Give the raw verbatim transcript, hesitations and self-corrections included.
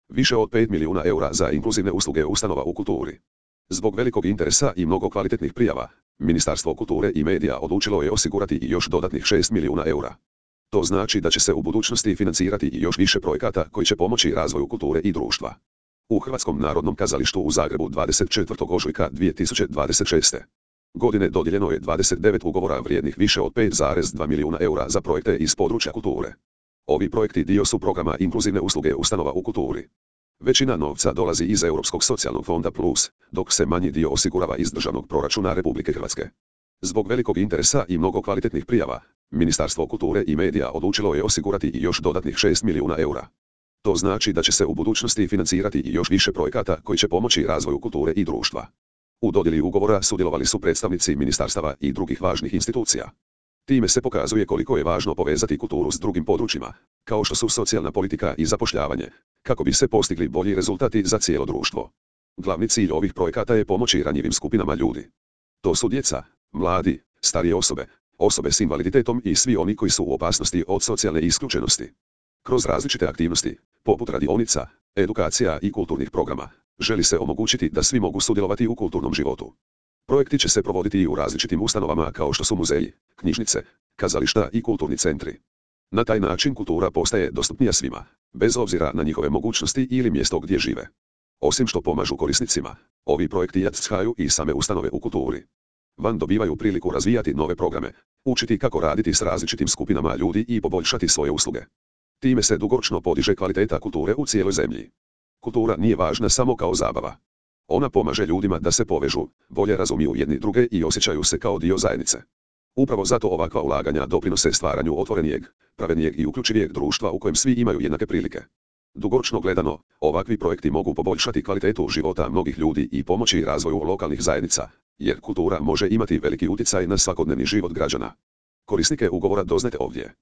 Više od pet milijuna eura za inkluzivne usluge ustanova u kulturi. Zbog velikog interesa i mnogo kvalitetnih prijava, Ministarstvo kulture i medija odlučilo je osigurati i još dodatnih šest milijuna eura. To znači da će se u budućnosti financirati i još više projekata koji će pomoći razvoju kulture i društva. U Hrvatskom narodnom kazalištu u Zagrebu dvadeset četvrtog ožujka dvije tisuće dvadeset šeste. godine dodijeljeno je dvadeset devet ugovora vrijednih više od pet zarez dva milijuna eura za projekte iz područja kulture. Ovi projekti dio su programa inkluzivne usluge ustanova u kulturi. Većina novca dolazi iz Europskog socijalnog fonda plus, dok se manji dio osigurava iz državnog proračuna Republike Hrvatske. Zbog velikog interesa i mnogo kvalitetnih prijava, Ministarstvo kulture i medija odlučilo je osigurati i još dodatnih šest milijuna eura. To znači da će se u budućnosti financirati i još više projekata koji će pomoći razvoju kulture i društva. U dodjeli ugovora sudjelovali su predstavnici ministarstava i drugih važnih institucija. Time se pokazuje koliko je važno povezati kulturu s drugim područjima, kao što su socijalna politika i zapošljavanje, kako bi se postigli bolji rezultati za cijelo društvo. Glavni cilj ovih projekata je pomoći ranjivim skupinama ljudi. To su djeca, mladi, starije osobe, osobe s invaliditetom i svi oni koji su u opasnosti od socijalne isključenosti. Kroz različite aktivnosti, poput radionica, edukacija i kulturnih programa, želi se omogućiti da svi mogu sudjelovati u kulturnom životu. Projekti će se provoditi i u različitim ustanovama kao što su muzeji, knjižnice, kazališta i kulturni centri. Na taj način kultura postaje dostupnija svima, bez obzira na njihove mogućnosti ili mjesto gdje žive. Osim što pomažu korisnicima, ovi projekti jačaju i same ustanove u kulturi. Van dobivaju priliku razvijati nove programe, učiti kako raditi s različitim skupinama ljudi i poboljšati svoje usluge. Time se dugoročno podiže kvaliteta kulture u cijeloj zemlji. Kultura nije važna samo kao zabava. Ona pomaže ljudima da se povežu, bolje razumiju jedni druge i osjećaju se kao dio zajednice. Upravo zato ovakva ulaganja doprinose stvaranju otvorenijeg, pravednijeg i uključivijeg društva u kojem svi imaju jednake prilike. Dugoročno gledano, ovakvi projekti mogu poboljšati kvalitetu života mnogih ljudi i pomoći razvoju lokalnih zajednica, jer kultura može imati veliki utjecaj na svakodnevni život građana. Korisnike ugovora doznajte ovdje.